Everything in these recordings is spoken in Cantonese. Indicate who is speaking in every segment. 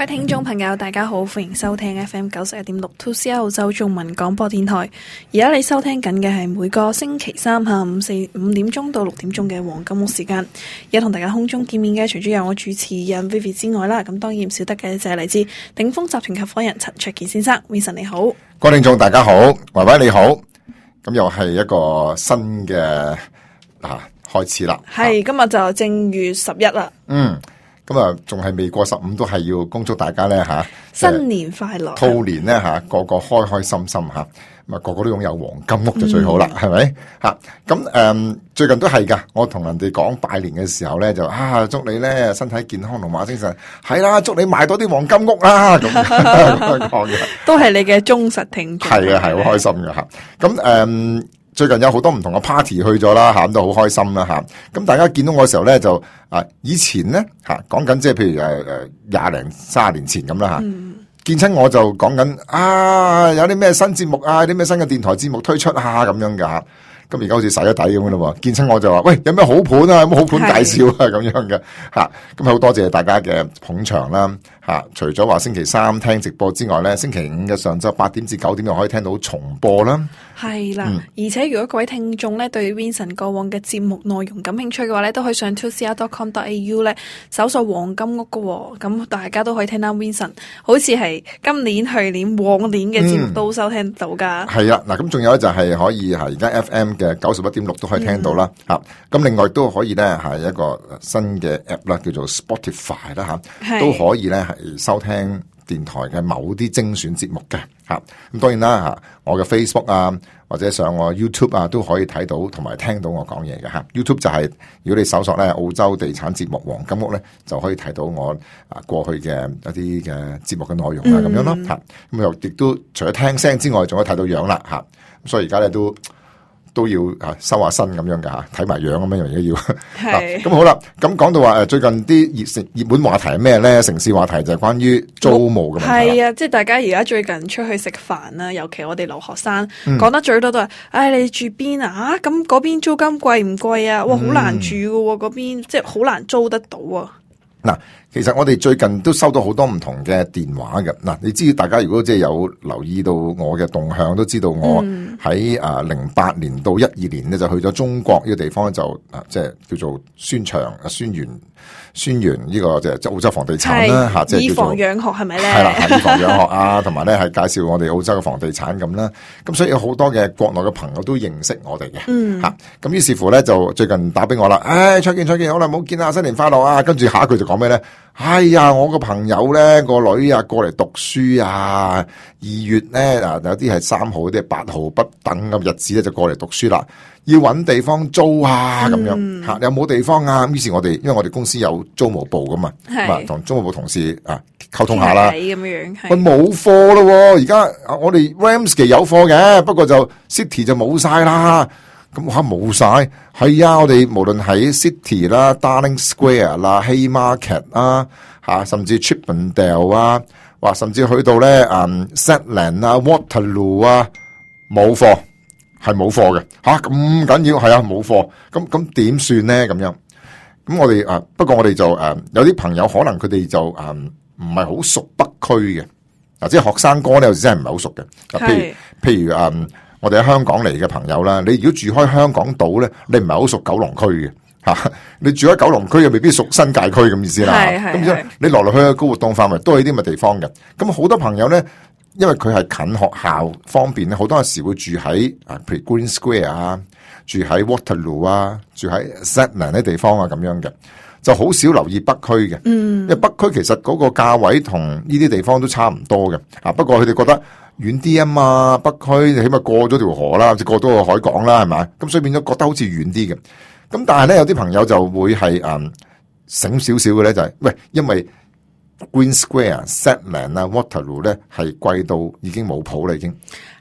Speaker 1: 聽眾朋友大家好，歡迎收聽 FM 91.6 2CR 澳洲中文廣播電台。而家你收聽緊嘅係每個星期三下午5點鐘到6點鐘嘅黃金屋時間。而家同大家空中見面嘅，除咗有我主持人 Vivi 之外啦，咁當然唔少得嘅就係嚟自鼎豐集團合夥人陳焯楗先生。Vincent 你好，
Speaker 2: 各位聽眾大家好，維維你好，咁又係一個新嘅開始啦。
Speaker 1: 係今日就正月11啦。
Speaker 2: 咁啊，仲係未過15，都係要恭祝大家咧
Speaker 1: 新年快樂，
Speaker 2: 兔年咧個個開開心心咁啊，個個都擁有黃金屋就最好啦，係咪咁最近都係噶，我同人哋講拜年嘅時候咧，就祝你咧身體健康，龍馬精神，係啦，祝你買多啲黃金屋啦，咁講嘅，
Speaker 1: 都係你嘅忠實聽眾，
Speaker 2: 係啊，係好開心嘅咁最近有好多唔同嘅 party 去咗啦，咁都好開心啦，咁大家見到我嘅時候咧，就以前咧講緊即係譬如20零30年前咁啦，見親我就講緊有啲咩新節目有啲咩新嘅電台節目推出咁樣噶，咁而家好似洗咗底咁樣咯，見親我就話喂，有咩好盤有咩好盤介紹咁樣嘅咁好多謝大家嘅捧場啦除咗話星期三聽直播之外咧，星期五嘅上晝8點至9點又可以聽到重播啦。
Speaker 1: 係啦，而且如果各位聽眾咧對 Vincent 過往嘅節目內容感興趣嘅話咧，都可以上 2cr.com.au 咧搜索黃金屋嘅咁大家都可以聽到 Vincent 好似係今年、去年、往年嘅節目都收聽到噶。係
Speaker 2: 啊，嗱咁仲有咧就係可以而家 FM 嘅91.6都可以聽到啦。咁另外都可以咧係一個新嘅 app 啦，叫做 Spotify 啦都可以咧係收聽電台嘅某啲精選節目嘅咁當然啦我嘅 Facebook 或者上我 YouTube 都可以睇到同埋聽到我講嘢嘅YouTube 就係如果你搜索咧澳洲地產節目黃金屋咧，就可以睇到我過去嘅一啲嘅節目嘅內容咁樣咯咁又亦都除咗聽聲之外，仲可以睇到樣啦咁所以而家咧都要收下身咁樣噶睇埋樣咁樣而家要咁好啦。咁講到話最近啲熱門話題係咩咧？城市話題就係關於租務嘅問題。
Speaker 1: 係啊，即係大家而家最近出去食飯啦，尤其我哋留學生講得最多都係你住邊咁嗰邊租金貴唔貴啊？哇，好難住㗎嗰邊，即係好難租得到啊！
Speaker 2: 嗱，其實我哋最近都收到好多唔同嘅電話嘅。嗱，你知大家如果即係有留意到我嘅動向，都知道我喺08年到12年咧就去咗中國呢個地方，就即係叫做宣傳呢個即係澳洲房地產啦即係
Speaker 1: 以房養學係咪咧？
Speaker 2: 係啦，以房養學同埋咧係介紹我哋澳洲嘅房地產咁啦。咁所以有好多嘅國內嘅朋友都認識我哋嘅咁於是乎咧就最近打俾我啦，焯楗好耐冇見啦，新年快樂跟住下一句就講咩咧？我個朋友咧個女過嚟讀書2月咧有啲係3號，啲係8號不等嘅日子咧就過嚟讀書啦，要搵地方租咁樣有冇地方咁於是我哋因為我哋公司有租務部噶嘛，同租務部同事溝通下啦，
Speaker 1: 咁樣
Speaker 2: 喂冇貨咯，而家我哋 Ramsgate 有貨嘅，不過就 City 就冇晒啦。咁冇晒，係我哋無論喺 City 啦、Darling Square 啦、Haymarket 甚至 Chippendale 甚至去到咧Zetland Waterloo 冇貨，係冇貨嘅咁緊要係冇貨，咁點算咧？咁樣咁我哋不過我哋就有啲朋友可能佢哋就唔係好熟北區嘅即係學生哥咧，有時真係唔係好熟嘅。譬如我哋喺香港嚟嘅朋友啦，你如果住開香港島咧，你唔係好熟九龍區嘅你住喺九龍區又未必熟新界區咁意思啦。咁所以你來來去去高活動範圍都係啲咁嘅地方嘅。咁好多朋友咧，因為佢係近學校方便咧，好多時會住喺譬如 Green Square 住喺 Waterloo 住喺 Zetland 啲地方咁樣嘅，就好少留意北區嘅。因為北區其實嗰個價位同呢啲地方都差唔多嘅不過佢哋覺得遠啲嘛，北區你起碼過咗條河啦，即過咗個海港啦，係咪？咁所以變咗覺得好似遠啲嘅。咁但係咧有啲朋友就會係醒少少嘅咧，就係喂，因為 Green Square、Zetland Waterloo 咧係貴到已經冇譜啦，已經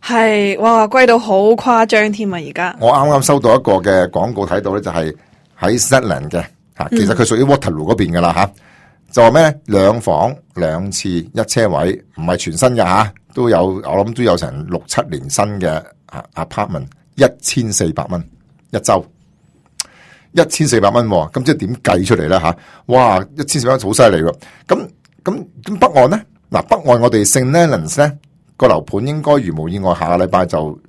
Speaker 1: 係哇貴到好誇張添啊！而家
Speaker 2: 我啱啱收到一個嘅廣告睇到咧，就係喺 Zetland 嘅其實佢屬於 Waterloo 嗰邊噶啦就話咩2房2次1車位，唔係全新嘅都有我諗都有成6-7年新嘅apartment， 1400蚊一周，1400蚊咁即係點計出嚟咧哇，1400蚊好犀利喎！咁咁北岸咧，嗱北岸我哋St Leonards咧個樓盤應該如無意外下個禮拜就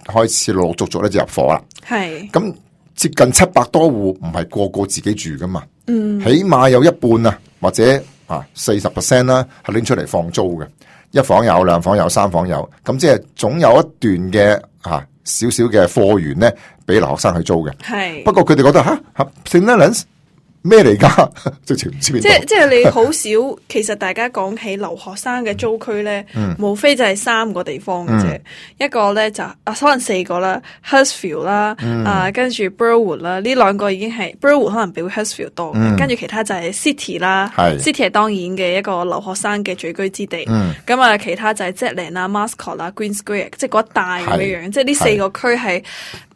Speaker 2: 開始陸陸續續咧就入伙啦。
Speaker 1: 係
Speaker 2: 咁接近700多戶，唔係個個自己住噶嘛，起碼有一半啊，或者40% 啦，係拎出嚟放租嘅，一房有、兩房有、三房有，咁即係總有一段嘅少少嘅貨源咧，俾留學生去租嘅。
Speaker 1: 係
Speaker 2: 不過佢哋覺得St Leonards咩嚟㗎？直情唔知邊度。
Speaker 1: 即係你好少，其實大家講起留學生嘅租區咧，無非就係3個地方嘅啫。一個咧就可能4個啦 ，Hurstville 啦，跟住 Burwood 啦，呢兩個已經係 Burwood 可能比 Hurstville 多，跟住其他就係 City 啦，City 係當然嘅一個留學生嘅聚居之地。咁其他就係 Zetland 啦、Mascot 啦、Green Square， 即係嗰一帶咁樣樣。即係呢4個區係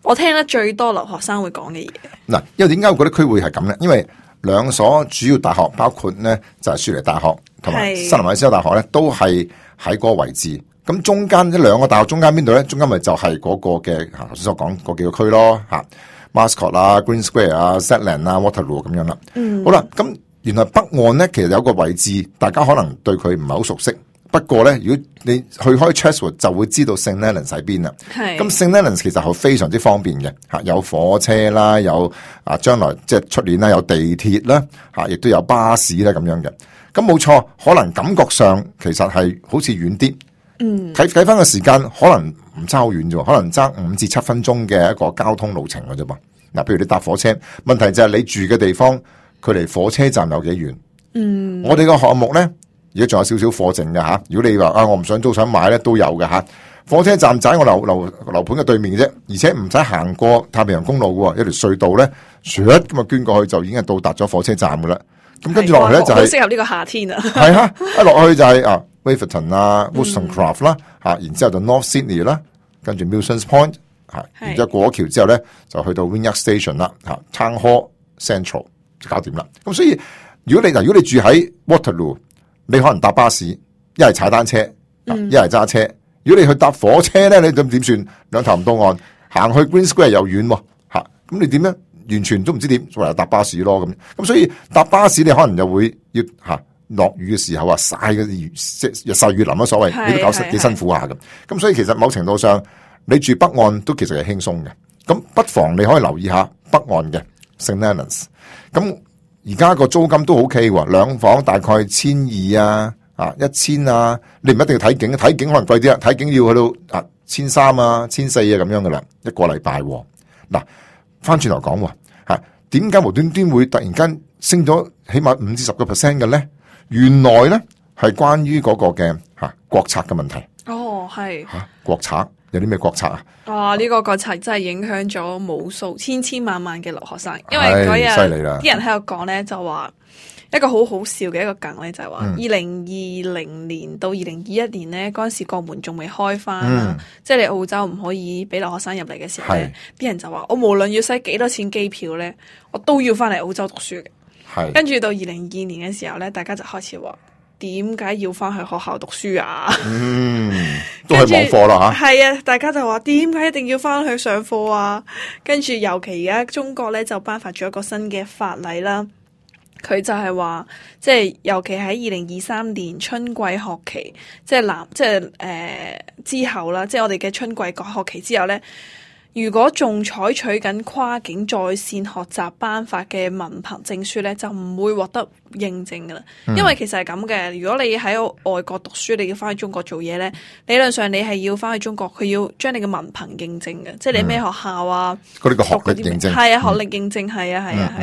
Speaker 1: 我聽得最多留學生會講嘅嘢。嗱，
Speaker 2: 因為點解我覺得區會係咁咧？因為兩所主要大學，包括咧就係雪梨大學同埋新南威爾士州大學咧，都係喺嗰個位置。咁中間呢兩個大學中間邊度咧？中間咪就係嗰個嘅頭先所講嗰幾個區咯，Mascot 啊、Green Square 啊、Zetland 啊、Waterloo 咁樣啦。好啦，咁原來北岸咧其實有個位置，大家可能對佢唔係好熟悉。不過咧，如果你去開 Chatswood 就會知道 St Leonards 喺邊啦。咁 St Leonards 其實係非常之方便嘅，有火車啦，有將來即係出年啦，有地鐵啦，亦都有巴士啦咁樣嘅。咁冇錯，可能感覺上其實係好似遠啲。計翻個時間，可能唔差好遠啫，可能爭5至7分鐘嘅一個交通路程嘅啫噃。嗱，譬如你搭火車，問題就係你住嘅地方，距離火車站有幾遠？我哋個項目咧。而家仲有少少貨剩嘅吓，如果你話我唔想租想買咧，都有嘅吓。火車站就喺我樓盤嘅對面嘅啫，而且唔使行過太平洋公路嘅，一條隧道咧，咁啊捐過去就已經係到達咗火車站嘅啦。咁跟住落去咧就係
Speaker 1: 適合呢個夏天啊。
Speaker 2: 係一落去就係Waverton 啊 Wollstonecraft 啦然之後就 North Sydney 啦，跟住 Milsons Point 然之後過咗橋之後咧就去到 Wynyard Station 啦Town Hall Central 就搞掂啦。咁所以如果你住喺 Waterloo，你可能搭巴士，一係踩單車，一係揸車。如果你去搭火車咧，你咁點算？兩頭唔到岸，行去 Green Square 又遠喎，咁你點咧？完全都唔知點，唯有搭巴士咯咁。所以搭巴士你可能又會要落雨嘅時候曬嘅雨，日曬雨淋啦，所謂你都搞幾辛苦下咁。咁所以其實某程度上，你住北岸都其實係輕鬆嘅。咁不妨你可以留意下北岸嘅 St Leonards。咁而家個租金都 OK 喎，2房大概1200啊，1000啊，你唔一定要睇景，睇景可能貴啲啦，睇景要去到1300啊、1400啊咁樣噶啦，一個禮拜。嗱，翻轉頭講點解無端端會突然間升咗起碼5至10% 嘅咧？原來咧係關於嗰個嘅國策嘅問題。
Speaker 1: 哦，係
Speaker 2: 國策有啲咩國策啊？
Speaker 1: 哇！呢個國策真係影響咗無數千萬嘅留學生，因為嗰日啲人喺度講咧，就話一個好好笑嘅一個梗咧，就係話2020年到2021年咧，嗰陣時國門仲未開翻即係你澳洲唔可以俾留學生入嚟嘅時候咧，啲人就話我無論要使幾多錢機票咧，我都要翻嚟澳洲讀書嘅。跟住到2022年嘅時候咧，大家就開始話。點解要翻去學校讀書啊？
Speaker 2: 都係網課啦吓。
Speaker 1: 係啊，大家就話點解一定要翻去上課啊？跟住尤其而家中國咧就頒發咗一個新嘅法例啦。佢就係話，即係尤其喺2023年春季學期，即係之後啦，即係我哋嘅春季學期之後咧。如果仲採取緊跨境在線學習頒發嘅文憑證書咧，就唔會獲得認證噶啦。因為其實係咁嘅，如果你喺外國讀書，你要翻去中國做嘢咧，理論上你係要翻去中國，佢要將你嘅文憑認證嘅，即係你咩學校啊，
Speaker 2: 嗰啲個學歷認證
Speaker 1: 係啊，學歷認證係啊。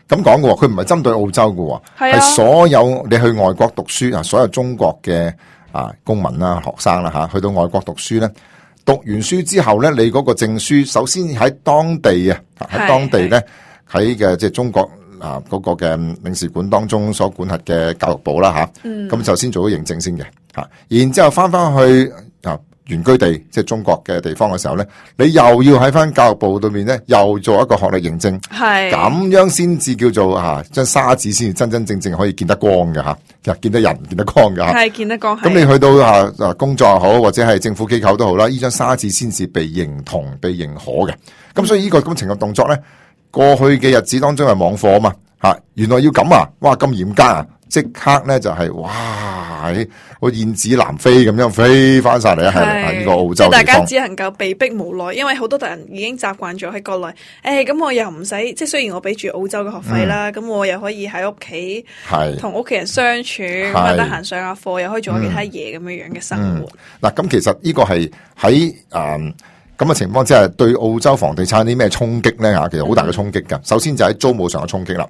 Speaker 2: 咁講嘅喎，佢唔係針對澳洲嘅喎，係所有你去外國讀書所有中國嘅公民啦、學生啦去到外國讀書咧。讀完書之後咧，你嗰個證書首先喺當地咧喺嘅即係中國嗰個嘅領事館當中所管轄嘅教育部啦咁就先做咗認證先嘅然之後翻去原居地即係中國嘅地方嘅時候咧，你又要喺翻教育部對面咧又做一個學歷認證，咁樣先至叫做張沙紙先至真真正正可以見得光嘅見得人見得光嘅
Speaker 1: 係見得光。
Speaker 2: 咁你去到工作又好或者係政府機構都好啦，呢張沙紙先至被認同被認可嘅。咁所以呢個咁情嘅動作咧，過去嘅日子當中係網課啊嘛原來要咁哇咁嚴格即刻咧就係哇，個燕子南飛咁樣飛翻晒嚟啊！係呢個澳洲
Speaker 1: 即係大家
Speaker 2: 地方
Speaker 1: 只能夠被逼無奈，因為好多人已經習慣咗喺國內。咁我又唔使，即係雖然我俾住澳洲嘅學費啦，咁我又可以喺屋企同屋企人相處，咁啊得閒上下課，又可以做下其他嘢咁樣嘅生活。
Speaker 2: 嗱，咁其實呢個係喺咁嘅情況之下，對澳洲房地產啲咩衝擊咧？其實好大嘅衝擊㗎。首先就喺租務上嘅衝擊啦，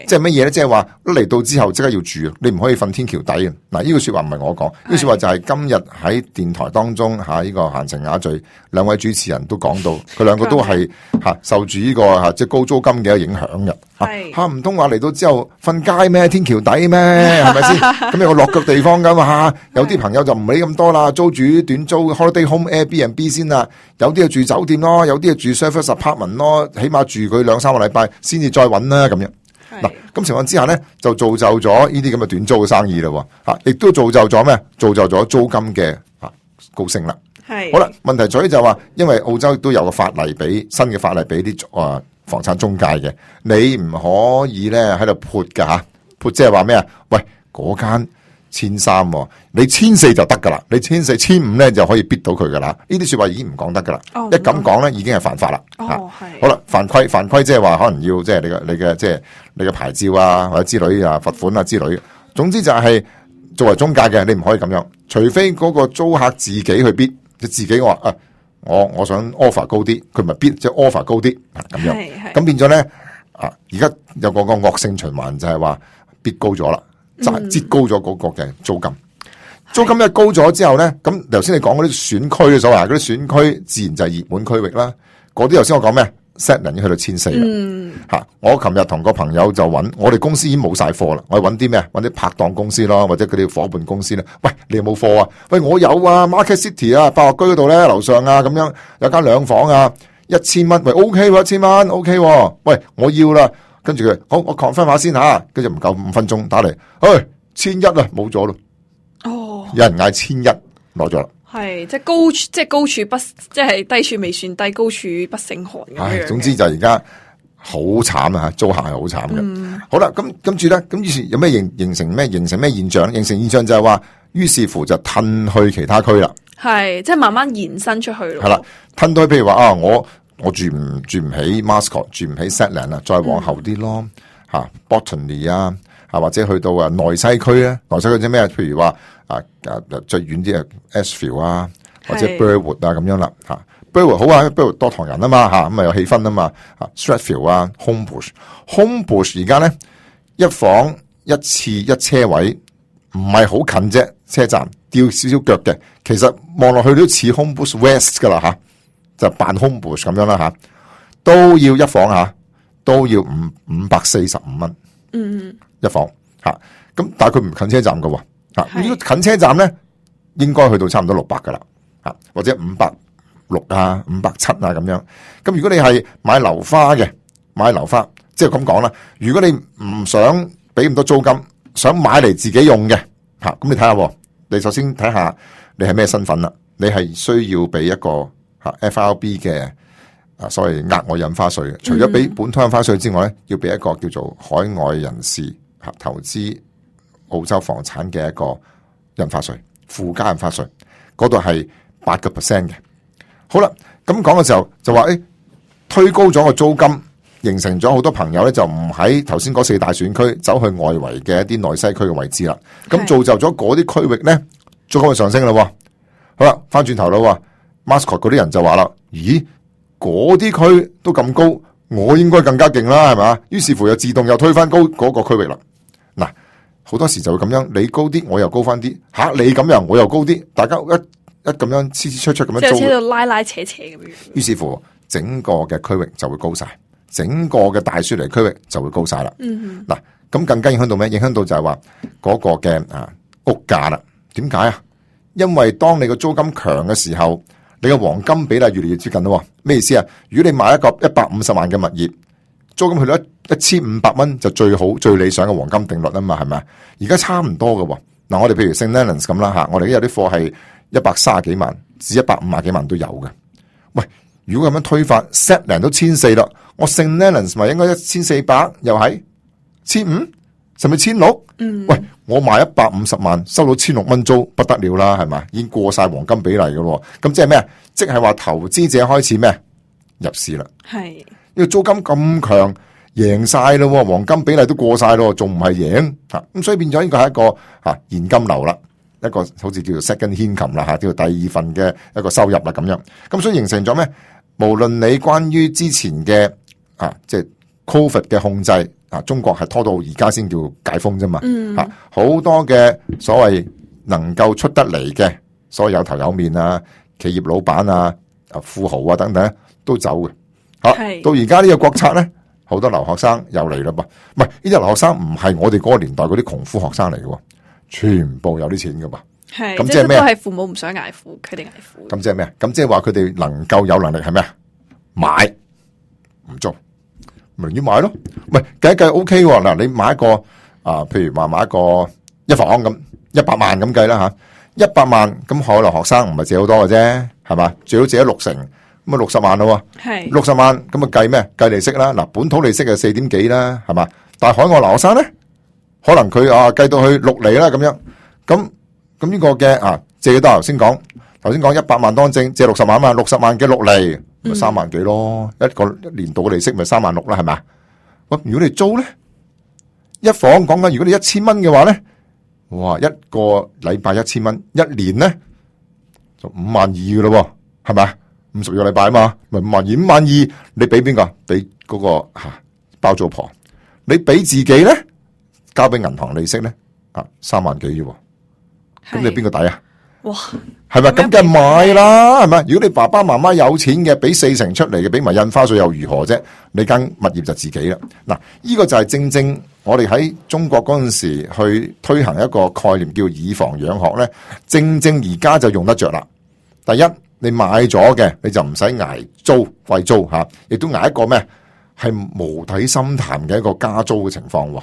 Speaker 2: 即係乜嘢咧？即係話一嚟到之後即刻要住，你唔可以瞓天橋底嘅。嗱，呢句說話唔係我講，呢句說話就係今日喺電台當中呢個閒情雅聚兩位主持人都講到，佢兩個都係受住呢個即係高租金嘅影響嘅。唔通話嚟到之後瞓街咩？天橋底咩？係咪先？咁有個落腳地方噶嘛？有啲朋友就唔理咁多啦，租住短租 holiday home Airbnb 先啦。有啲就住酒店咯，有啲就住 service apartment 咯，起碼住佢2-3個禮拜先至再揾啦咁樣。嗱，咁情況之下咧，就造就咗呢啲咁嘅短租嘅生意啦。亦都造就咗咩？造就咗租金嘅高升啦。好啦，問題在於就話，因為澳洲都有個法例俾新嘅法例俾啲房產中介嘅，你唔可以咧喺度潑噶吓，潑即係話咩啊？喂，嗰間1300，你1400就得噶啦，你1400、1500咧就可以逼到佢噶啦。呢啲說話已經唔講得噶啦，一咁講咧已經係犯法啦。好啦，犯規即係話可能要即係你嘅即係你嘅牌照啊或者之類啊罰款啊之類。總之就係作為中介嘅，你唔可以咁樣，除非嗰個租客自己去逼，即自己話我想 offer 高啲，佢咪必即係 offer 高啲咁樣，咁變咗咧而家有個惡性循環就係話必高咗啦，就係擠高咗嗰個嘅租金。租金一高咗之後咧，咁頭先你講嗰啲選區嘅所謂嗰啲選區，自然就係熱門區域啦。嗰啲頭先我講咩 ？Zetland 已經去到1400啦。我琴日同個朋友就揾，我哋公司已經冇晒貨啦。我哋揾啲咩？揾啲拍檔公司咯，或者佢哋伙伴公司咧。喂，你有冇貨啊？喂，我有啊 ，Market City 啊，百樂居嗰度咧，樓上啊，咁樣有間2房啊，1000蚊。喂 ，OK 喎，1000蚊 OK 喎。喂，我要啦。跟住佢，好，我 confirm 下先吓。跟住唔夠5分鐘打嚟，1100啊，冇咗咯。有人嗌1100攞咗啦。
Speaker 1: 係，即係高處不，即係低處未算低，高處不勝寒咁樣。
Speaker 2: 總之就而家好慘啊！租客係好慘嘅。好啦，咁跟住咧，咁於是有咩形成咩現象？形成現象就係話，於是乎就褪去其他區啦。係，
Speaker 1: 即係慢慢延伸出去咯。
Speaker 2: 係啦，褪到去譬如話我住唔起 Mascot， 住唔起 Zetland 啦，再往後啲咯，Botany 啊，或者去到內西區咧，內西區啲咩？譬如話最遠啲Ashfield 啊，或者 Burwood 啊咁樣啦Burwood 好啊 ，Burwood 多唐人啊嘛咁啊有氣氛啊嘛Strathfield 啊 Homebush 而家咧1房1次1車位，唔係好近啫，車站吊少少腳嘅，其實望落去都似 Homebush West 噶啦就扮 Homebush 咁樣啦都要1房都要545蚊1房咁但係佢唔近車站噶如果近車站咧，應該去到差唔多600噶啦或者560啊、570啊咁樣。咁如果你係買樓花嘅，即係咁講啦。如果你唔想俾咁多租金，想買嚟自己用嘅咁你睇下，你首先睇下你係咩身份啦。你係需要俾一個FRB 嘅所謂額外印花稅嘅。除咗俾本土印花稅之外咧，要俾一個叫做海外人士投資澳洲房產嘅一個印花稅，附加印花稅，嗰度係8%嘅。好啦，咁講嘅時候就話，推高咗個租金，形成咗好多朋友咧就唔喺頭先嗰4大選區，走去外圍嘅一啲內西區嘅位置啦。咁造就咗嗰啲區域咧，租金上升啦。好啦，翻轉頭啦，Mascot 嗰啲人就話啦，咦，嗰啲區都咁高，我應該更加勁啦，係咪？於是乎又自動又推翻高嗰個區域啦。嗱，好多時就會咁樣，你高啲，我又高翻啲，你咁樣我又高啲，大家一咁樣黐出咁樣租，
Speaker 1: 即係喺度拉扯咁樣。
Speaker 2: 於是乎，整個嘅區域就會高晒，整個嘅大雪梨區域就會高晒啦。嗱，咁更加影響到咩？影響到就係話嗰個嘅屋價啦。點解啊？因為當你個租金強嘅時候，你嘅黃金比例越嚟越接近咯。咩意思啊？如果你買一個150萬嘅物業，租金去到1500蚊就最好最理想嘅黃金定律啊嘛，係咪？而家差唔多嘅。嗱，我哋譬如 St Leonards 咁啦我哋有啲貨係130幾萬至150幾萬都有嘅。喂，如果咁樣推發 Zetland 都1400啦，我 St Leonards 咪應該1400，又係1500，甚至1,600。喂，我賣150萬，收到1,600蚊租，不得了啦，係咪？已經過晒黃金比例噶咯。咁即係咩？即係話投資者開始咩？入市啦。係，呢個租金咁強，贏晒咯，黃金比例都過晒咯，仲唔係贏？咁所以變咗呢個係一個現金流啦，一個好似叫做 second income 啦，叫做第二份嘅一個收入啦咁樣。咁所以形成咗咩？無論你關於之前嘅即係 Covid 嘅控制。中國係拖到而家先叫解封啫嘛，好多嘅所謂能夠出得嚟嘅，所謂有頭有面啊，企業老闆啊，富豪啊等等都走嘅。到而家呢個國策咧，好多留學生又嚟啦噃，唔係呢啲留學生唔係我哋嗰個年代嗰啲窮苦學生嚟嘅，全部有啲錢噶噃。係，咁即係咩？都係父母唔想捱苦，佢哋捱苦。咁即係咩？咁即係話佢哋能夠有能力係咩？買唔租。咪寧願買咯，唔係計一計 O K 喎。嗱，你買一個譬如話買一個一房咁100萬咁計啦吓，100萬咁可能學生唔係借好多嘅啫，係嘛？最好借咗60成，咁啊60萬咯，係60萬咁啊計咩？計利息啦。嗱，本土利息係4點幾啦，係嘛？但係海外留學生咧，可能佢計到去6厘啦咁樣，咁呢個嘅借幾多？頭先講100萬當正借60萬嘛，60萬嘅6厘。咪3萬幾咯，一個年度嘅利息咪3萬6啦，係咪？咁如果你租咧，一房講緊，如果你1000蚊嘅話咧，哇，一個禮拜1000蚊，一年咧就52000噶咯，係咪？50個禮拜啊嘛，咪52000，你俾邊個？俾嗰個包租婆，你俾自己咧，交俾銀行利息咧，3萬幾啫，咁你邊個抵啊？哇，係咪咁梗係買啦？係咪？如果你爸爸媽媽有錢嘅，俾4成出嚟嘅，俾埋印花稅又如何啫？你間物業就自己啦。嗱，呢個就係正正我哋喺中國嗰陣時去推行一個概念叫以房養學咧，正正而家就用得着啦。第一，你買咗嘅你就唔使捱租貴租吓，亦都捱一個咩係無底深潭嘅一個加租嘅情況。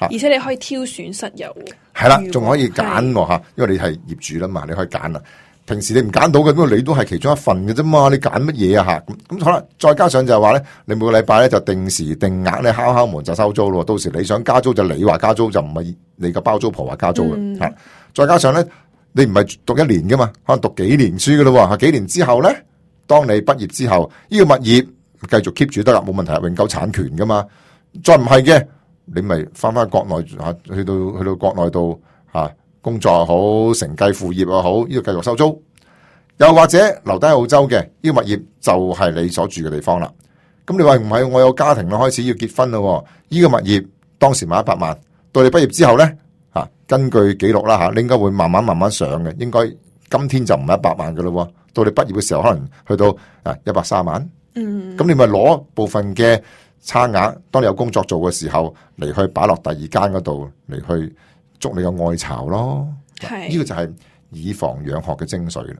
Speaker 1: 而且你可以挑選室友，
Speaker 2: 係啦，仲可以揀喎吓，因為你係業主啦嘛，你可以揀啦。平時你唔揀到嘅，因為你都係其中一份嘅啫嘛，你揀乜嘢啊吓？咁好啦，再加上就係話咧，你每個禮拜咧就定時定額咧敲門就收租咯。到時你想加租就你話加租，就唔係你個包租婆話加租嘅吓。再加上咧，你唔係讀1年噶嘛，可能讀幾年書噶咯。幾年之後咧，當你畢業之後，呢個物業繼續 keep 住得啦，冇問題，永久產權噶嘛。再唔係嘅，你咪翻國內去到國內度工作又好，承繼父業又好，呢個繼續收租。又或者留低澳洲嘅呢個物業就係你所住嘅地方啦。咁你話唔係，我有家庭啦，開始要結婚咯。呢個物業當時買100萬，到你畢業之後咧根據記錄啦你應該會慢慢上嘅。應該今天就唔係100萬噶咯，到你畢業嘅時候可能去到130萬。咁你咪攞部分嘅差額，當你有工作做嘅時候嚟去擺落第二間嗰度嚟去捉你嘅愛巢咯。呢個就係以房養學嘅精髓啦。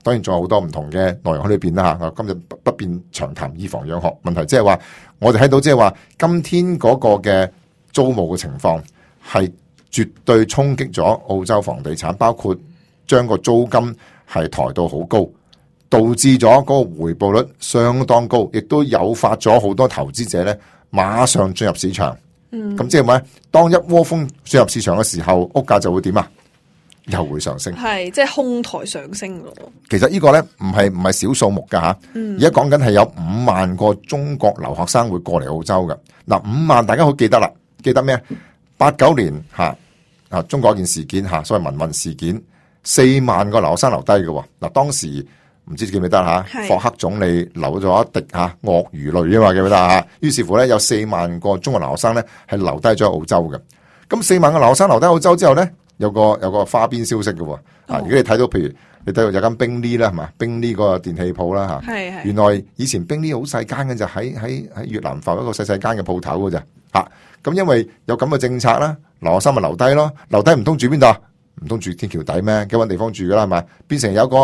Speaker 2: 當然仲有好多唔同嘅內容喺裏邊啦吓。今日不便長談以房養學問題，即係話我哋睇到即係話今天嗰個嘅租務嘅情況係絕對衝擊咗澳洲房地產，包括將個租金係抬到好高，導致咗嗰個回報率相當高，亦都誘發咗好多投資者咧馬上進入市場。咁即係咩？當一窩蜂進入市場嘅時候，屋價就會點啊？又會上升，係即係哄抬上升咯。其實呢個咧唔係小數目噶吓，而家講緊係有5萬個中國留學生會過嚟澳洲噶。嗱，5萬大家好記得啦，記得咩？89年中國一件事件所謂民運事件，4萬個留學生留低嘅。嗱，當時唔知記唔記得霍克總理流咗一滴鱷魚淚啊嘛，記唔記得啊？於是乎咧，有4萬個中國留學生咧係留低咗澳洲嘅。咁4萬個留學生留低澳洲之後咧，有個花邊消息嘅。如果你睇到譬如你睇到有間冰呢啦，係嘛，冰呢個電器鋪啦吓，原來以前冰呢好細間嘅，就喺越南埠一個細間嘅鋪頭嘅咋吓。咁因為有咁嘅政策啦，留學生咪留低咯，留低唔通住邊度？唔通住天橋底咩？幾搵地方住噶啦，係咪？變成有個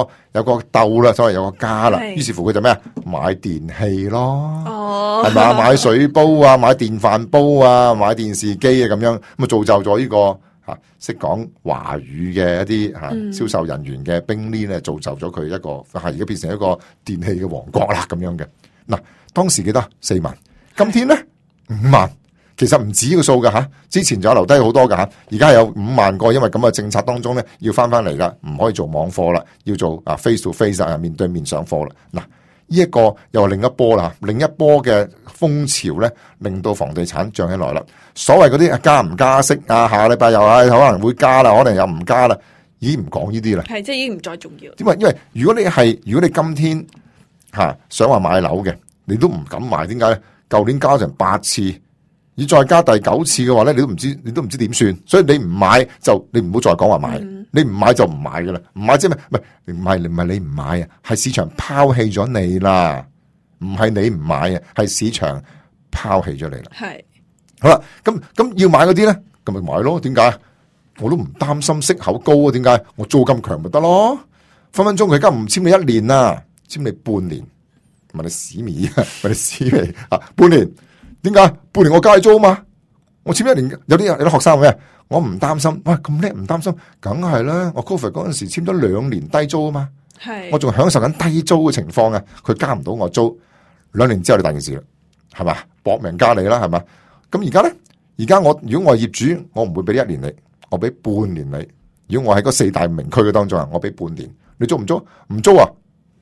Speaker 2: 竇啦，所謂有個家啦。於是乎佢就咩？買電器咯，係咪？買水煲啊，買電飯煲啊，買電視機啊，咁樣咁啊，造就咗呢個識講華語嘅一啲銷售人員嘅冰呢咧，造就咗佢一個而家變成一個電器嘅王國啦，咁樣嘅。嗱，當時記得4萬，今天咧5萬，其實唔止呢個數噶吓，之前就有留低好多噶吓，而家係有5萬個，因為咁嘅政策當中咧，要翻嚟啦，唔可以做網課啦，要做face to face 面對面上課啦。嗱，呢一個又係另一波啦，另一波嘅風潮咧，令到房地產漲起來啦。所謂嗰啲加唔加息啊，下個禮拜又可能會加啦，可能又唔加啦，已經唔講呢啲啦。
Speaker 1: 係即係已經唔再重要。
Speaker 2: 因為如果你今天想話買樓嘅，你都唔敢買，點解咧？舊年加成8次。要再加第9次嘅話咧，你都唔知點算，所以你唔買就你唔好再講話買，你唔買就唔買噶啦，唔買即係咩？唔係你唔買啊，係市場拋棄咗你啦，唔係你唔買啊，係市場拋棄咗你啦。係好啦，咁要買嗰啲咧，咁咪買咯？點解？我都唔擔心息口高啊，點解？我租金強咪得咯，分分鐘佢而家唔簽你1年啊，簽你半年，問你屎味啊，問你屎味啊，半年。點解半年我加你租嘛？我簽1年，有啲學生咩？我唔擔心，哇咁叻唔擔心，梗係啦。我 Covid 嗰陣時簽咗2年低租啊嘛，係我仲享受緊低租嘅情況啊。佢加唔到我租，2年之後你大件事啦，係嘛？搏命加你啦，係嘛？咁而家咧，如果我係業主，我唔會俾1年你，我俾半年你。如果我喺嗰4大名區嘅當中啊，我俾半年，你租唔租？唔租啊，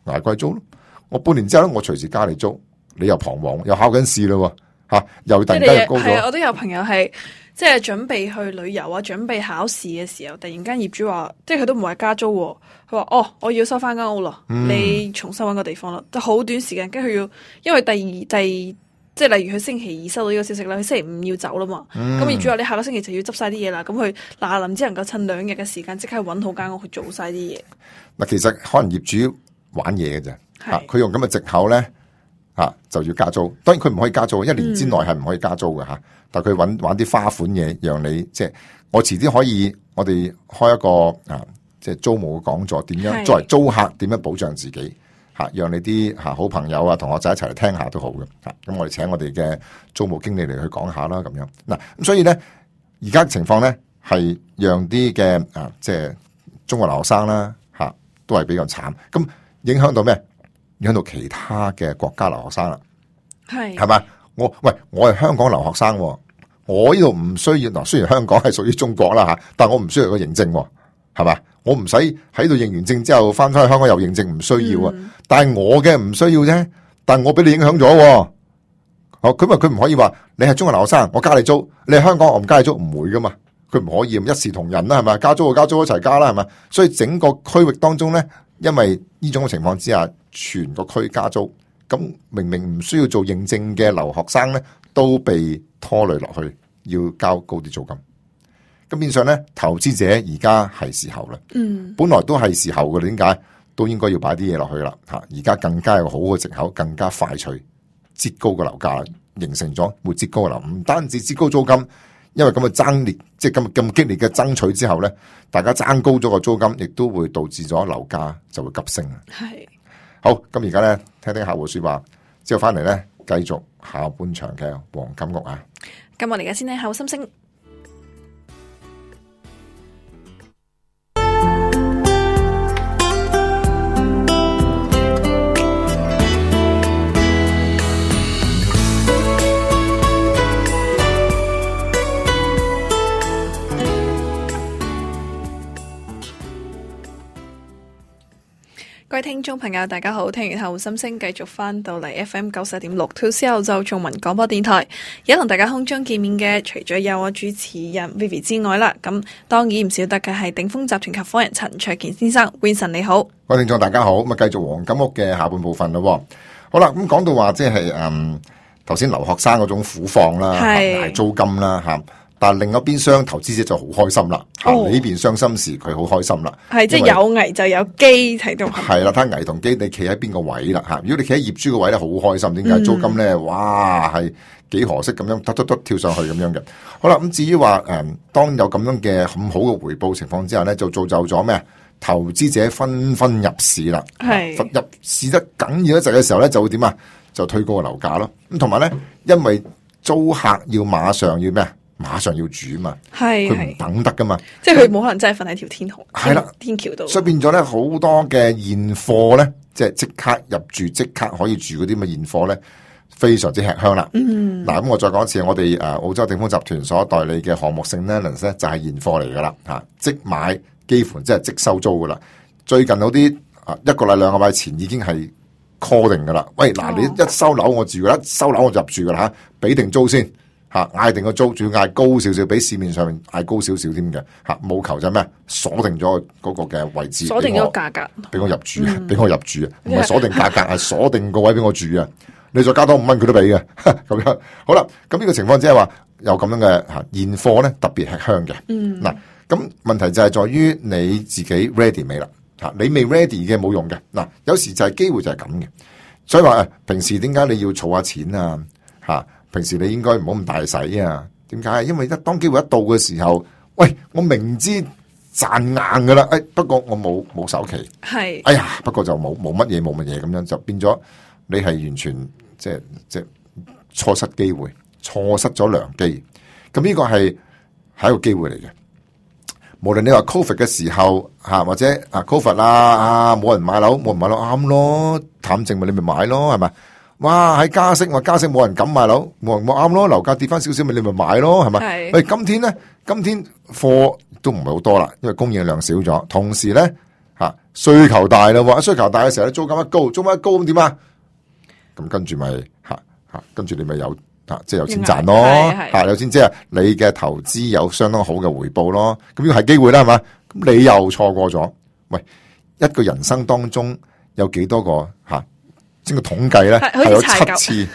Speaker 2: 捱貴租咯。我半年之後咧，我隨時加你租，你又彷徨，又考緊試咯。又突然間又高咗。係啊，
Speaker 1: 我都有朋友係即係準備去旅遊啊，準備考試嘅時候，突然間業主話，即係佢都唔係加租，佢話哦，我要收翻間屋咯，你重新搵個地方咯，就好短時間，跟住佢要，因為即係例如佢星期2收到呢個消息啦，佢星期5要走啦嘛，咁業主話你下個星期就要執晒啲嘢啦，咁佢嗱只能夠趁2日嘅時間即刻搵好間屋去做晒啲嘢。嗱，
Speaker 2: 其實可能業主玩嘢嘅啫，佢用咁嘅藉口咧。就要加租，當然佢唔可以加租，1年之內係唔可以加租嘅吓。但係佢玩啲花款嘢，讓你即係我遲啲可以，我哋開一個即係租務嘅講座，點樣作為租客點樣保障自己吓，讓你啲好朋友啊、同學仔一齊嚟聽下都好嘅吓。咁我哋請我哋嘅租務經理嚟去講下啦，咁樣嗱。咁所以咧，而家情況咧係讓啲嘅即係中國留學生啦吓，都係比較慘。咁影響到咩？影響到其他嘅國家留學生啦，係咪？我係香港留學生，我呢度唔需要嗱。雖然香港係屬於中國啦吓，但我唔需要個認證，係嘛？我唔使喺度認完證之後翻返去香港又認證，唔需要啊。但係我嘅唔需要啫，但係我俾你影響咗。佢唔可以話你係中國留學生，我加你租；你係香港，我唔加你租，唔會噶嘛。佢唔可以一視同仁啦，係咪？加租就加租一齊加啦，係咪？所以整個區域當中咧，因為呢種嘅情況之下，全個區加租，咁明明唔需要做認證嘅留學生咧，都被拖累落去，要交高啲租金。咁變相咧，投資者而家係時候啦。本來都係時候嘅，點解都應該要擺啲嘢落去啦？吓，而家更加有好嘅藉口，更加快脆擠高個樓價，形成咗會擠高嘅樓，唔單止擠高租金。因為咁嘅爭烈，即係咁激烈嘅爭取之後咧，大家爭高咗個租金，亦都會導致咗樓價就會急升。係好，咁而家咧聽聽客戶說話，之後翻嚟咧繼續下半場嘅黃金屋啊。
Speaker 1: 咁我哋而家先聽下心聲。各位聽眾朋友，大家好！聽完後心聲，繼續翻到嚟 FM 91.6 2C 澳洲中文廣播電台。而家同大家空中見面嘅，除咗有我主持人 Vivi 之外啦，咁當然唔少得嘅係鼎豐集團合夥人陳焯楗先生。Vincent 你好，
Speaker 2: 各位聽眾大家好。咁啊，繼續黃金屋嘅下半部分咯。好啦，咁講到話即係頭先留學生嗰種苦況啦，捱租金啦吓。但另一邊廂投資者就好開心啦，你呢邊傷心時佢好開心啦，
Speaker 1: 係即係有危就有機睇到。
Speaker 2: 係啦，睇危同機，你企喺邊個位啦吓？如果你企喺業主個位咧，好開心，點解？租金咧，哇係幾何式咁樣突跳上去咁樣嘅。好啦，咁至於話當有咁樣嘅咁好嘅回報情況之下咧，就造就咗咩？投資者紛紛入市啦，入市得緊要一陣嘅時候咧，就會點啊？就推高個樓價咯。咁同埋咧，因為租客要馬上要咩？馬上要住嘛，佢唔等得噶嘛，
Speaker 1: 即係佢冇可能真係瞓喺條天橋度，
Speaker 2: 所以變咗咧好多嘅現貨咧，即係即刻入住、即刻可以住嗰啲咁嘅現貨咧，非常之吃香啦。嗱，咁我再講一次，我哋澳洲鼎豐集團所代理嘅項目性 Nellens 咧就係現貨嚟噶啦嚇，即買幾乎即係即收租噶啦。最近有啲一個禮兩個禮前已經係 call 定噶啦。喂，嗱，你一收樓我住噶啦，一收樓我就入住噶啦嚇，俾定租先嚇，嗌定個租，仲要嗌高少少，比市面上面嗌高少少添嘅嚇，冇求就咩？鎖定咗嗰個嘅位置，
Speaker 1: 鎖定咗價格，
Speaker 2: 俾我入住，俾我入住啊！唔係鎖定價格，係鎖定個位俾我住啊！你再加多5蚊佢都俾嘅，咁樣好啦。咁呢個情況即係話有咁樣嘅現貨咧，特別吃香嘅。嗱，咁問題就係在於你自己 ready 未啦？你未 ready 嘅冇用嘅。嗱，有時就係機會就係咁嘅。所以話平時點解你要儲下錢啊？平時你應該唔好咁大使啊？點解？因為當機會一到嘅時候，喂，我明知賺硬噶啦，不過我冇首期，係，哎呀，不過就冇乜嘢咁樣，就變咗你係完全即係錯失機會，錯失咗良機。咁呢個係一個機會嚟嘅。無論你話 Covid 嘅時候或者Covid 冇人買樓啱咯，淡靜咪你咪買咯，係咪？哇！喺加息冇人敢買樓，冇啱咯，樓價跌翻少少咪你咪買咯，係咪？喂，今天貨都唔係好多啦，因為供應量少咗，同時咧需求大啦，需求大嘅時候咧租金一高咁點啊？咁跟住咪跟住你咪有即係有錢賺咯，有錢即係你嘅投資有相當好嘅回報咯。咁呢個係機會啦，係嘛？咁你又錯過咗。喂，一個人生當中有幾多個整個統計咧係有7次，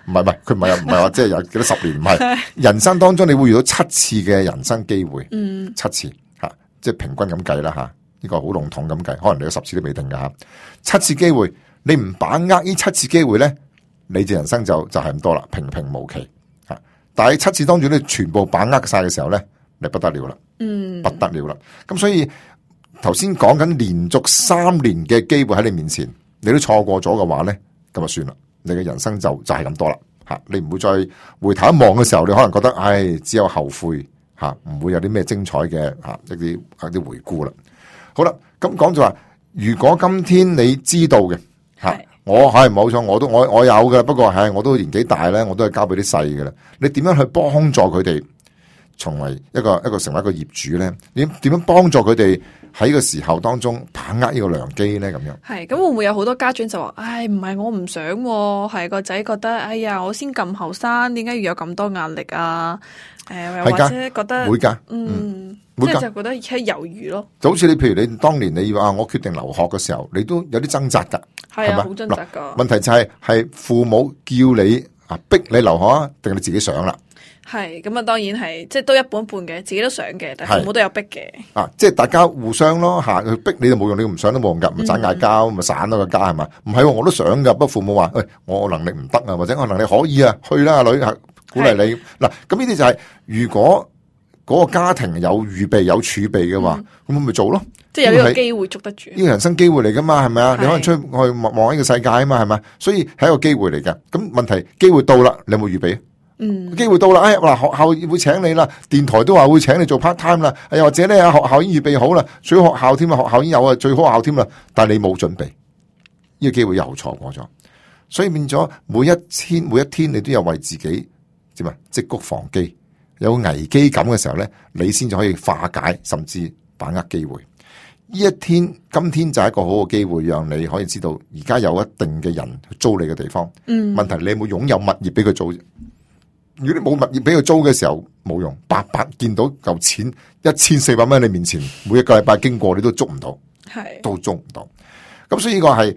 Speaker 2: 唔係佢唔係話即係有幾多10年，唔係人生當中你會遇到7次嘅人生機會，7次即係平均咁計啦呢個好籠統咁計，可能你有10次都未定噶7次機會，你唔把握呢7次機會咧，你嘅人生就係咁多啦，平平無奇但係7次當中你全部把握晒嘅時候咧，你不得了啦，不得了啦。咁所以頭先講緊連續3年嘅機會喺你面前，你都錯過咗嘅話咧，咁就算啦，你嘅人生就係咁多啦你唔會再回頭一望嘅時候，你可能覺得只有後悔唔會有啲咩精彩嘅一啲回顧啦。好啦，咁講就話，如果今天你知道嘅我係冇錯，我有嘅，不過我都年紀大咧，我都係交俾啲細嘅啦。你點樣去幫助佢哋成為一個成為一個業主咧？點樣幫助佢哋喺呢個時候當中把握呢個良機咧？咁樣
Speaker 1: 係咁會唔會有好多家長就話：唔係我唔想，係個仔覺得，哎呀，我先咁後生，點解要有咁多壓力啊？或者覺得
Speaker 2: 會噶，
Speaker 1: 即係就覺得而家猶豫咯。就好
Speaker 2: 似你，譬如你當年你話我決定留學嘅時候，你都有啲掙扎噶，
Speaker 1: 係啊，好掙扎噶。
Speaker 2: 問題就係父母叫你逼你留學啊，定係你自己想啦？
Speaker 1: 係咁啊，當然係即係都一半一半嘅，自己都想嘅，但係父母都有逼嘅。
Speaker 2: 即係大家互相咯佢逼你就冇用，你唔想都冇用噶，咪盞嗌交，咪散咗個家係嘛？唔係，我都想噶，不過父母話：喂，我能力唔得啊，或者我能力可以啊，去啦，阿女鼓勵你。嗱，咁呢啲就係如果嗰個家庭有預備有儲備嘅話，咁咪做咯。
Speaker 1: 即係有呢個機會捉得住，
Speaker 2: 呢個人生機會嚟噶嘛，係咪啊？你可能出去望呢個世界啊嘛，係咪？所以係一個機會嚟嘅。咁問題機會到啦，你有冇預備？機會到啦，嗱，學校會請你啦，電台都話會請你做 part time 啦，又或者咧學校已經預備好啦，最好學校添啊，學校已經有啊，最好學校添啦，但係你冇準備，呢個機會又錯過咗，所以變咗每一天你都有為自己點啊積谷防饑，有危機感嘅時候咧，你先至可以化解，甚至把握機會。呢一天，今天就係一個好嘅機會，讓你可以知道而家有一定嘅人去租你嘅地方。問題你有冇擁有物業俾佢租？如果你冇物業俾佢租嘅時候，冇用，白白見到嚿錢1400蚊喺你面前，每一個禮拜經過你都捉唔到，都捉唔到。咁所以呢個係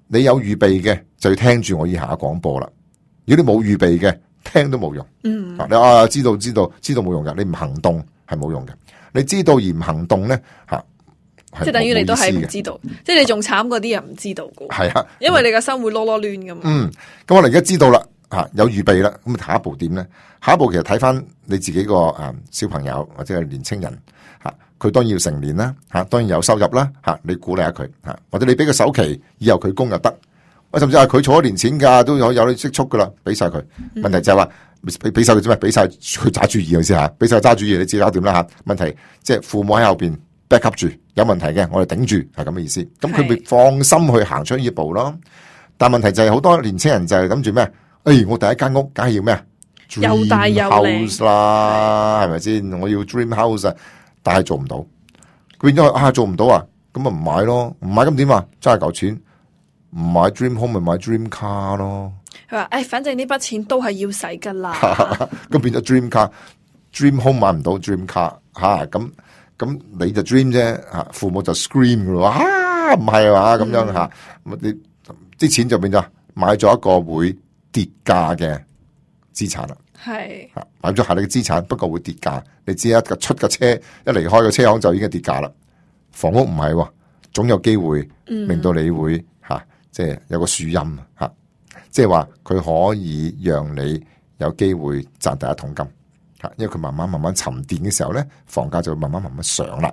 Speaker 2: 你有預備嘅就要聽住我以下嘅廣播啦。如果你冇預備嘅，聽都冇用。你知道冇用噶，你唔行動係冇用嘅。你知道而唔行動咧
Speaker 1: 即係等於你都係唔知道，即係你仲慘過啲人唔知道噶。係啊，因為你個心會囉囉攣噶嘛。
Speaker 2: 咁我哋而家知道啦。有預備啦，咁下一步點咧？下一步其實睇翻你自己個小朋友或者係年青人佢當然要成年啦，當然有收入啦，你鼓勵下佢或者你俾個首期，以後佢供又得，甚至係佢儲咗年錢噶，都有啲積蓄噶啦，俾晒佢。問題就係話俾晒佢啫嘛，俾晒佢揸主意先吓，俾晒揸主意，你自己搞掂啦吓。問題即係父母喺後邊 back up 住，有問題嘅我哋頂住，係咁嘅意思。咁佢咪放心去行出呢一步咯。但問題就係好多年青人就係諗住咩？我第一間屋梗係要咩啊？
Speaker 1: 又大又靚
Speaker 2: house 啦，係咪先？我要 dream house 啊，但係做唔到，變咗做唔到啊，咁咪唔買咯，唔買咁點啊？揸嚿錢唔買 dream home 咪買 dream car 咯。
Speaker 1: 佢話反正呢筆錢都係要使噶啦。
Speaker 2: 咁變咗 dream car，dream home 買唔到 dream car 咁你就 dream 啫，父母就 scream 噶咯，唔係嘛咁樣吓，咁你啲錢就變咗買咗一個會跌價嘅資產啦。
Speaker 1: 係
Speaker 2: 買咗下你嘅資產，不過會跌價。你知一個出嘅車一離開個車行就已經跌價啦。房屋唔係，總有機會令到你會即係有個樹蔭吓，即係話佢可以讓你有機會賺第一桶金吓，因為佢慢慢沉澱嘅時候咧，房價就會慢慢上啦。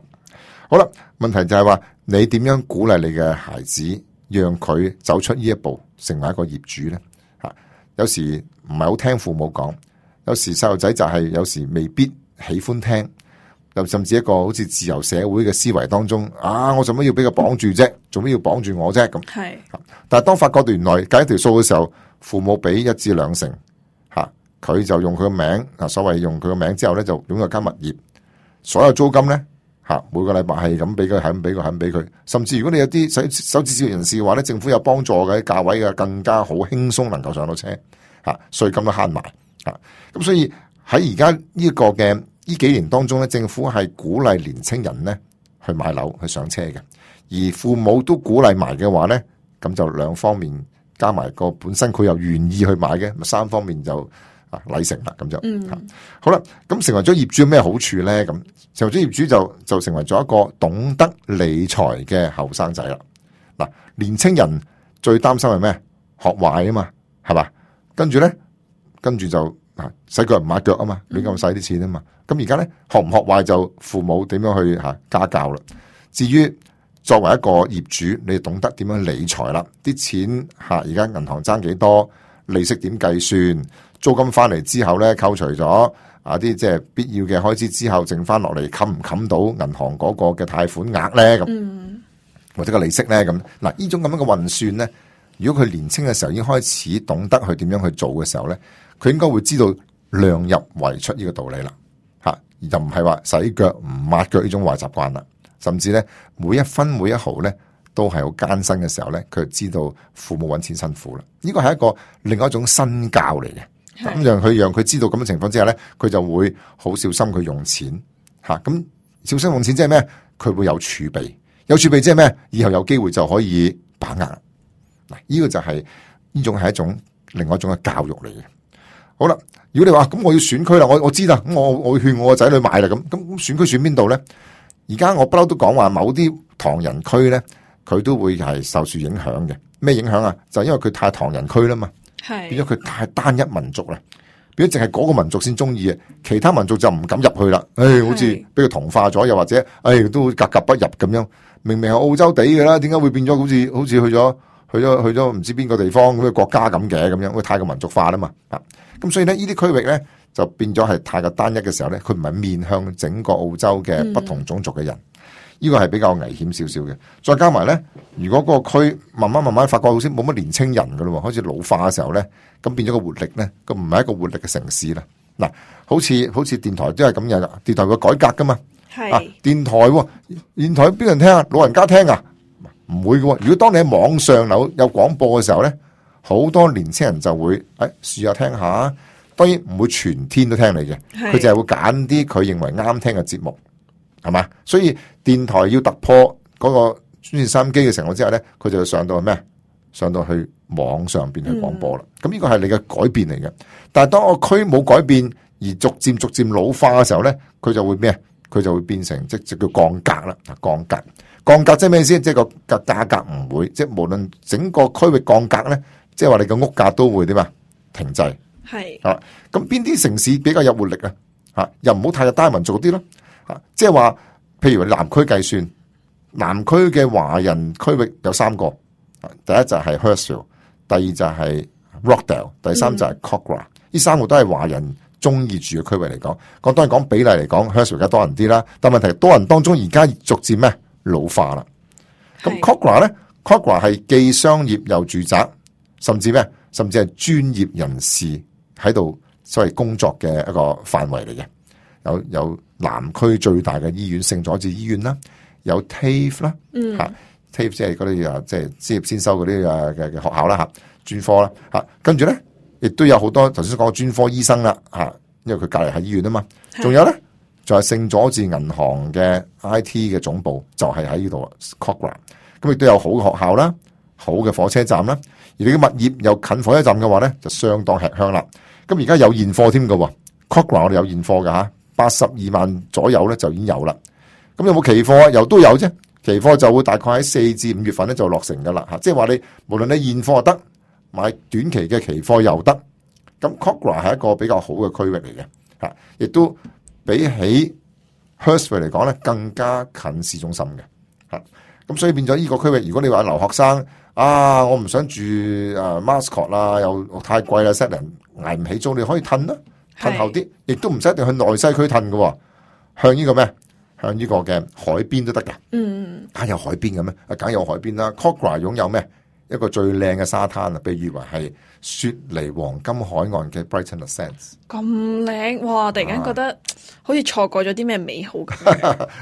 Speaker 2: 好啦，問題就係話你點樣鼓勵你嘅孩子，讓佢走出呢一步，成為一個業主咧吓？有時唔係好聽父母講，有時細路仔就係有時未必喜歡聽，又甚至一個好似自由社會嘅思維當中，我做乜要俾佢綁住啫？做乜要綁住我啫？咁係，但係當發覺原來計一條數嘅時候，父母俾1至2成，佢就用佢個名，所謂用佢個名之後咧，就擁有間物業，所有租金咧，每個禮拜係咁俾佢，係咁俾佢，係咁俾佢。甚至如果你有啲手指小人士嘅話咧，政府有幫助嘅價位嘅，更加好輕鬆能夠上到車，稅金都慳埋。咁所以喺而家呢個嘅呢幾年當中咧，政府係鼓勵年青人咧去買樓去上車嘅，而父母都鼓勵埋嘅話咧，咁就兩方面加埋個本身佢又願意去買嘅，咪3方面就禮成啦，咁就好啦。咁成為咗業主有咩好處咧？咁成為咗業主就成為咗一個懂得理財嘅後生仔啦。嗱，年青人最擔心係咩？學壞啊嘛，係嘛？跟住就洗腳唔抹腳啊嘛，亂咁使啲錢啊嘛。咁而家咧學唔學壞就父母點樣去家教啦。至於作為一個業主，你懂得點樣理財啦，啲錢而家銀行爭幾多，利息點計算，租金翻嚟之後咧扣除咗啲即係必要嘅開支之後，剩翻落嚟冚唔冚到銀行嗰個嘅貸款額咧咁，或者個利息咧咁。嗱，呢種咁樣嘅運算咧，如果佢年青嘅時候已經開始懂得去點樣去做嘅時候咧，佢應該會知道量入為出呢個道理啦，而就唔係話洗腳唔抹腳呢種壞習慣啦。甚至咧每一分每一毫咧都係好艱辛嘅時候咧，佢就知道父母揾錢辛苦啦。呢個係一個另外一種身教嚟嘅，咁讓佢知道咁嘅情況之下咧，佢就會好小心去用錢吓。咁小心用錢即係咩？佢會有儲備，有儲備即係咩？以後有機會就可以把握啦。嗱，呢個就係呢種係一種另外一種嘅教育嚟嘅。好啦，如果你話咁我要選區啦，我知啦，咁我會勸我個仔女買啦，咁選區選邊度咧？而家我不嬲都講話，某啲唐人區咧，佢都會係受住影響嘅。咩影響啊？就因為佢太唐人區啦嘛，變咗佢太單一民族啦，變咗淨係嗰個民族先中意嘅，其他民族就唔敢入去啦。好似俾佢同化咗，又或者都格格不入咁樣。明明係澳洲地嘅啦，點解會變咗好似去咗唔知邊個地方咁嘅國家咁嘅咁樣？因為太過民族化啦嘛。咁所以咧，呢啲區域咧就變咗係太過單一嘅時候咧，佢唔係面向整個澳洲嘅不同種族嘅人，呢個係比較危險少少嘅。再加埋咧，如果嗰個區慢慢發覺好似冇乜年青人噶咯，開始老化嘅時候咧，咁變咗個活力咧，咁唔係一個活力嘅城市啦。嗱，好似電台都係咁樣，電台會改革噶嘛。係電台邊人聽啊？老人家聽啊？唔會嘅。如果當你喺網上有廣播嘅時候咧，好多年青人就會試下聽下，當然唔會全天都聽你嘅，佢就係會揀啲佢認為啱聽嘅節目，係嘛？所以電台要突破嗰個專線收音機嘅情況之下咧，佢就要上到咩？上到去網上邊去廣播啦。咁呢個係你嘅改變嚟嘅。但係當個區冇改變而逐漸老化嘅時候咧，佢就會咩？佢就會變成即叫降格啦。降格即係咩意思？即係個價格唔會，即係無論整個區域降格咧。即係話你個屋價都會點啊？停滯係咁邊啲城市比較有活力啊？又唔好太過單民族啲咯。即係話，譬如南區計算，南區嘅華人區域有3個，第一就係 Hurstville， 第二就係 Rockdale， 第三就係 Kogarah。呢3個都係華人中意住嘅區域嚟講。當然講比例嚟講 Hurstville 而家多人啲啦，但問題多人當中而家逐漸咩老化啦。咁 Kogarah 咧 ，Kogarah 係既商業又住宅。甚至甚至係專業人士喺度所謂工作嘅一個範圍嚟嘅。有南區最大嘅醫院聖佐治醫院啦，有 TAFE 啦，TAFE 即係嗰啲即係職業先修嗰啲嘅學校啦，專科啦，跟住咧亦都有好多頭先講嘅專科醫生啦，因為佢隔離係醫院啊嘛。仲有咧就係聖佐治銀行嘅 IT 嘅總部就係喺呢度 Cochrane。咁亦都有好嘅學校啦，好嘅火車站啦。而你嘅物業又近火車站嘅話咧，就相當吃香啦。咁而家有現貨添㗎，Cochrane 我哋有現貨㗎，82萬左右咧就已經有啦。咁有冇期貨啊？又都有啫。期貨就會大概喺4至5月份咧就落成㗎啦。即係話你無論你現貨又得，買短期嘅期貨又得。咁 Cochrane 係一個比較好嘅區域嚟嘅，亦都比起 Hurstville 嚟講咧更加近市中心嘅。咁所以變咗呢個區域，如果你話留學生我唔想住Mascot 啦，又太貴啦 ，set 人捱唔起租，你可以褪啦，褪後啲，亦都唔使一定去內西區褪嘅，向呢個咩？向呢個嘅海邊都得嘅。有海邊嘅咩？梗有海邊啦。Cochrane 擁有咩？一個最靚嘅沙灘啊，被譽為係雪梨黃金海岸嘅 Brighton Sands。
Speaker 1: 咁靚，哇！突然間覺得好似錯過咗啲咩美好咁。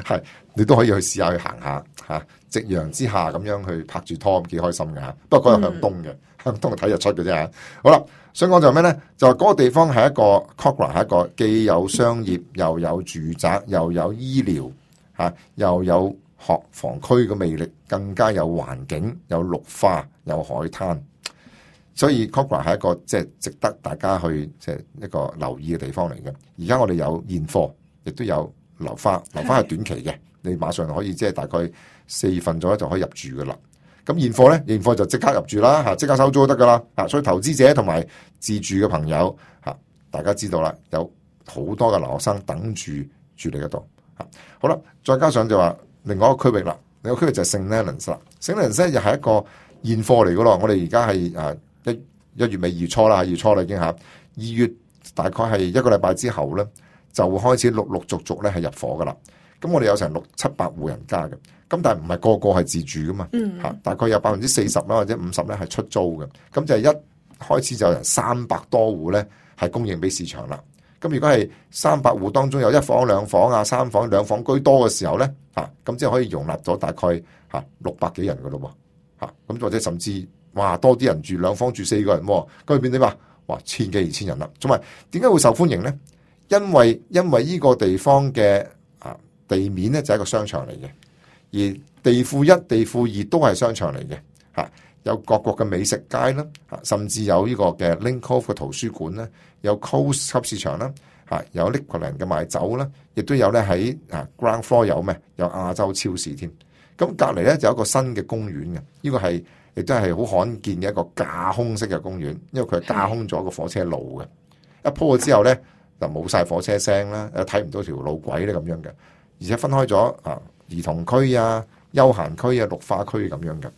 Speaker 2: 係，你都可以去試下去行下夕陽之下咁樣去拍住拖，幾開心㗎。不過嗰日向東嘅，向東睇日出嘅啫。好啦，想講就係咩咧？就係嗰個地方係一個 Cochrane 係一個既有商業又有住宅又有醫療又有學房區嘅魅力，更加有環境、有綠化、有海灘，所以 Cochrane 係一個即係值得大家去即係一個留意嘅地方嚟嘅。而家我哋有現貨，亦都有樓花，樓花係短期嘅，你馬上可以即係大概4月份左右就可以入住噶啦。咁現貨咧，現貨就即刻入住啦，即刻收租都得噶啦。所以投資者同埋自住嘅朋友大家知道啦，有好多嘅留學生等住你嗰度。好啦，再加上就話另外一個區域啦，另外一個區域就係 St Leonards 啦。St Leonards 又係一個現貨嚟噶咯。我哋而家係一月尾2月初啦，2月初啦已經2月大概係一個禮拜之後咧，就會開始陸陸續續咧係入伙噶啦。咁我哋有成600-700戶人家嘅，咁但係唔係個個係自住噶嘛，大概有40%啦或者50%咧係出租嘅。咁就係一開始就有300多戶咧係供應俾市場啦。咁如果係300戶當中有1房2房3房2房居多嘅時候咧，咁即係可以容納咗大概600幾人噶咯喎，咁或者甚至多啲人住2房住4個人，咁變點啊？哇，1000幾2000人啦。同埋點解會受歡迎咧？因為呢個地方嘅地面咧就係一個商場嚟嘅，而地庫1、地庫2都係商場嚟嘅，有各國嘅美食街啦，甚至有呢個嘅 Link Cove 嘅圖書館啦，有 Coast 級市場啦，有 Liquorland 嘅賣酒啦，亦都有咧喺Ground Floor 有亞洲超市添。咁隔離咧就有一個新嘅公園嘅，呢個係亦都係好罕見嘅一個架空式嘅公園，因為佢係架空咗個火車路嘅，一鋪咗之後咧就冇晒火車聲啦，睇唔到條路軌咧咁樣嘅，而且分開咗兒童區休閒區綠化區咁樣嘅。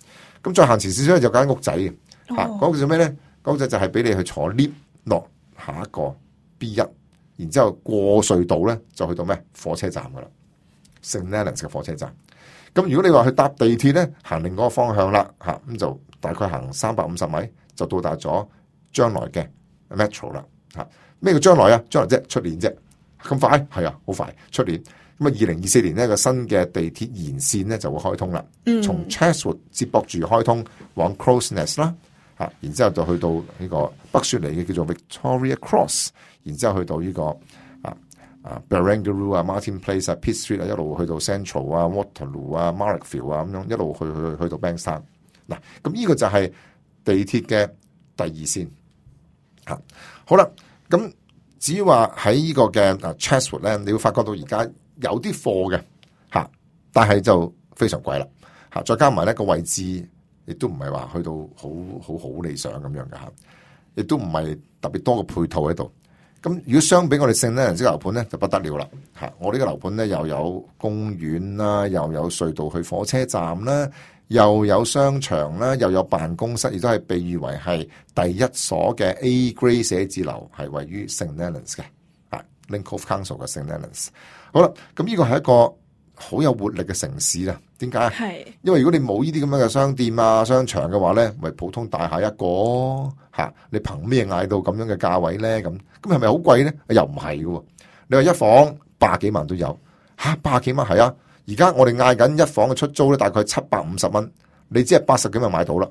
Speaker 2: 咁再行前少少咧就間屋仔嘅，嗰個叫咩咧？嗰個就係俾你去坐 lift 落下一個 B1，然之後過隧道咧就去到咩火車站噶啦，St Leonards 嘅火車站。咁如果你話去搭地鐵咧，行另外一個方向啦，咁就大概行350米就到達咗將來嘅 Metro 啦。咩叫將來啊？將來啫，出年啫，咁快？係啊，好快，出年。咁2024年呢個新嘅地鐵延線咧就會開通啦，從 Chatswood 接駁住開通往 Crows Nest 啦，然之後就去到呢個北雪梨嘅叫做 Victoria Cross， 然之後去到呢個Barangaroo Martin Place Pitt Street 一路去到 Central Waterloo Marrickville 咁樣一路去到 Bankstown。嗱，咁呢個就係地鐵嘅第2線。好啦，咁至於話喺呢個嘅Chatswood 咧，你會發覺到而家有啲貨嘅但係就非常貴啦再加埋呢個位置亦都唔係話去到好理想咁樣嘅亦都唔係特別多嘅配套喺度。咁如果相比我哋St Leonards樓盤咧就不得了啦我呢個樓盤咧又有公園啦，又有隧道去火車站啦，又有商場啦，又有辦公室，亦都係被譽為係第1所嘅 A Grade 寫字樓，係位於St Leonards嘅Link Cove Council 嘅St Leonards。好啦，咁呢個係一個好有活力嘅城市啦。點解？
Speaker 1: 係
Speaker 2: 因為如果你冇呢啲咁樣嘅商店啊、商場嘅話咧，咪普通大廈一個嚇，你憑咩嗌到咁樣嘅價位咧？咁係咪好貴咧？又唔係嘅。你話一房百幾萬都有嚇，百幾萬係啊！而家我哋嗌緊一房嘅出租咧，大概750蚊，你只係80幾萬買到啦。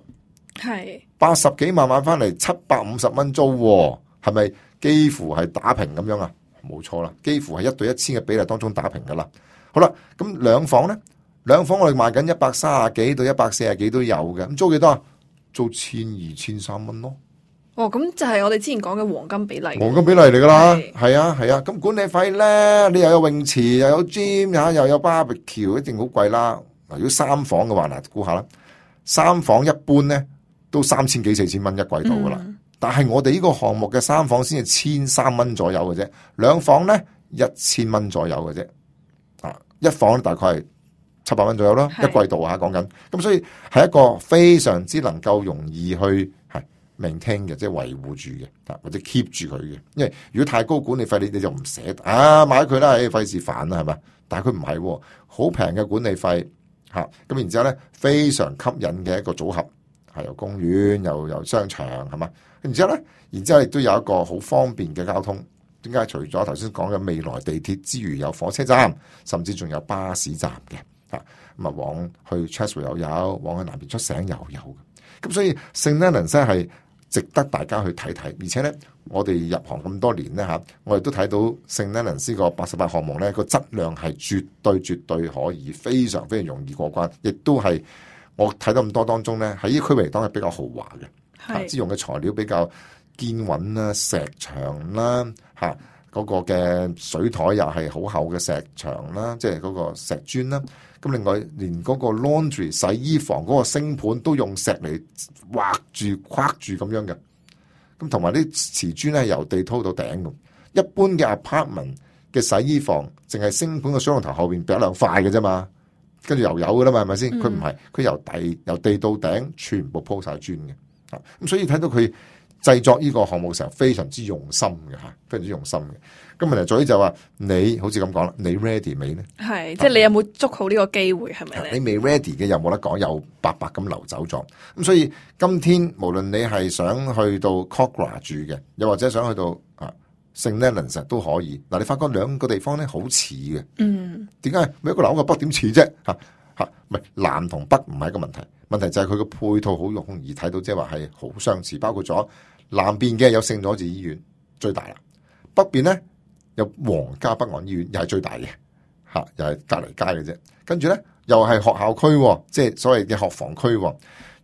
Speaker 1: 係
Speaker 2: 80幾萬買翻嚟750蚊租，係咪幾乎係打平咁樣啊？冇錯啦，幾乎係1對1000嘅比例當中打平噶啦。好啦，咁兩房咧，兩房我哋賣緊130幾到140幾都有嘅，咁租幾多啊？租1200、1300蚊咯。
Speaker 1: 哦，咁就係我哋之前講嘅黃金比例。
Speaker 2: 黃金比例嚟噶啦，係啊係啊。咁管理費咧，你又有泳池，又有 gym， 又有 barbecue， 一定好貴啦。嗱，如果三房嘅話，嗱，估下啦，三房一般咧都3000幾4000蚊一季度噶啦。但係我哋呢個項目嘅三房先係1300蚊左右嘅啫，兩房咧1000蚊左右嘅啫。啊，一房大概係700蚊左右啦，一季度啊講緊。咁所以係一個非常之能夠容易去maintain 嘅，即係維護住嘅，或者 keep 住佢嘅。因為如果太高管理費，你就唔捨得啊，買佢啦，費事煩啦，係咪？但係佢唔係，好平嘅管理費吓，咁然之後咧非常吸引嘅一個組合，係有公園又有商場，係嘛？然之後咧，然之後亦都有一個好方便嘅交通。點解？除咗頭先講嘅未來地鐵之餘，有火車站，甚至仲有巴士站嘅吓。咁啊，往去 Chatswood 又有，往去南邊出城又有嘅。咁所以 St Leonards 係值得大家去睇睇，而且咧，我哋入行咁多年咧吓，我哋都睇到 St Leonards 個88項目咧個質量係絕對可以，非常容易過關，亦都係我睇到咁多當中咧，喺呢區域嚟講係比較豪華嘅，即用嘅材料比較堅穩啦，石牆啦吓，嗰個嘅水台又係好厚嘅石牆啦，即係嗰個石磚啦。咁另外連嗰個 laundry 洗衣房嗰個星盤都用石嚟畫住框住咁樣嘅，咁同埋啲瓷磚咧由地拖到頂咁。一般嘅 apartment 嘅洗衣房淨係星盤個水龍頭後邊俾一兩塊嘅啫嘛，跟住又有噶啦嘛，係咪先？佢唔係，佢由地到頂全部鋪晒磚嘅，咁所以睇到佢製作呢個項目嘅時候非常之用心嘅吓，非常之用心嘅。咁問題在於就話你好似咁講啦，你 ready 未咧？係，
Speaker 1: 即係你有冇捉好呢個機會係咪咧？
Speaker 2: 你未 ready 嘅又冇得講，又白白咁流走咗。咁所以今天無論你係想去到 Kogarah 住嘅，又或者想去到St Leonards 都可以。嗱，你發覺兩個地方咧好似嘅。點解？每一個南個北點似啫？唔係南同北唔係一個問題，問題就係佢個配套好容易睇到，即係話係好相似。包括咗南邊嘅有聖佐治醫院最大啦，北邊咧有皇家北岸醫院又係最大嘅，又係隔離街嘅啫。跟住咧又係學校區，即係所謂嘅學房區，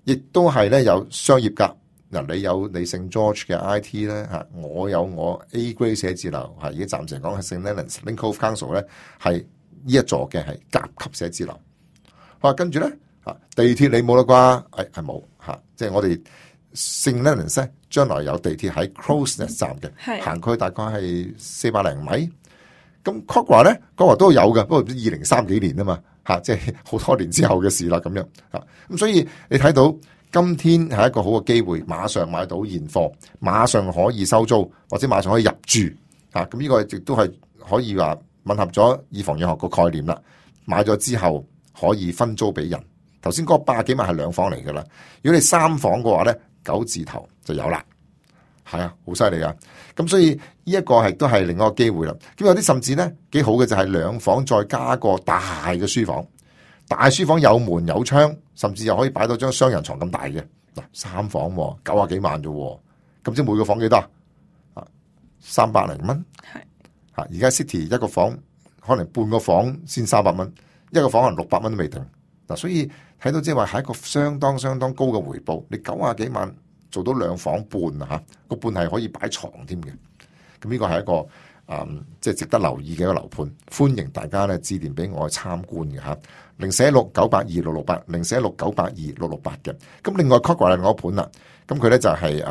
Speaker 2: 亦都係咧有商業格。嗱，你有你聖 George 嘅 IT 咧嚇，我有我 A Grade 寫字樓嚇，而家暫時講係 St Leonards Link Cove Council 咧係呢一座嘅係甲級寫字樓。跟住咧地鐵你冇啦啩？係冇嚇，即係我哋 St Leonards 咧將來有地鐵喺 Crows Nest 站嘅，行去大概係400零米。咁 Kogarah 咧，Kogarah 都有嘅，不過2030幾年啊嘛嚇，即係好多年之後嘅事啦咁樣嚇。咁所以你睇到今天係一個好嘅機會，馬上買到現貨，馬上可以收租，或者馬上可以入住嚇。咁呢個亦都係可以話吻合咗以房養學個概念啦。買咗之後可以分租俾人。頭先嗰個80幾萬係兩房嚟噶啦，如果你三房嘅話咧，9字頭就有啦。係啊，好犀利噶。咁所以呢一個係都係另一個機會啦。咁有啲甚至咧幾好嘅就係兩房再加個大嘅書房，大書房有門有窗，甚至又可以擺到張雙人床咁大嘅。嗱，三房90幾萬啫，咁即係每個房幾多啊？300零蚊。係嚇，而家 City 一個房可能半個房先300蚊，一個房可能600蚊都未定。嗱，所以睇到即係話係一個相當高嘅回報。你90幾萬做到兩房半啊嚇，個半係可以擺床添嘅。咁呢個係一個即係值得留意嘅一個樓盤，歡迎大家咧致電俾我去參觀嘅嚇。016-982-668 016-982-668嘅。咁另外 Kogarah 另外一個盤啦，咁佢咧就係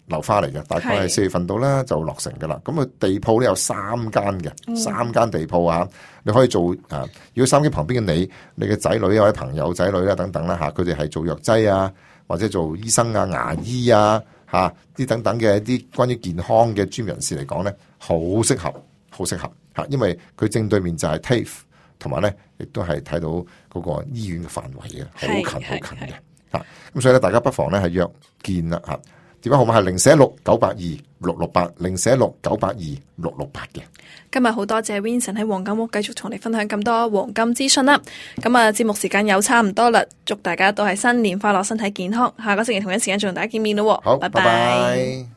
Speaker 2: 樓花嚟嘅，大概係4月份到啦就落成嘅啦。咁佢地鋪咧有3間嘅，3間地鋪啊，你可以做如果收音機旁邊嘅你嘅仔女或者朋友仔女啦等等啦嚇，佢哋係做藥劑啊，或者做醫生啊、牙醫啊嚇啲等等嘅一啲關於健康嘅專業人士嚟講咧，好適合嚇，因為佢正對面就係 TAFE 同埋咧亦都係睇到嗰個醫院嘅範圍嘅，好近好近嘅嚇。咁所以咧，大家不妨咧係約見啦嚇。電話號碼係046-982-668 046-982-668嘅。
Speaker 1: 今日好多謝 Vincent 喺黃金屋繼續同你分享咁多黃金資訊啦。咁啊，節目時間又差唔多啦，祝大家都係新年快樂，身體健康。下個星期同一時間再同大家見面咯。
Speaker 2: 好，
Speaker 1: 拜
Speaker 2: 拜拜。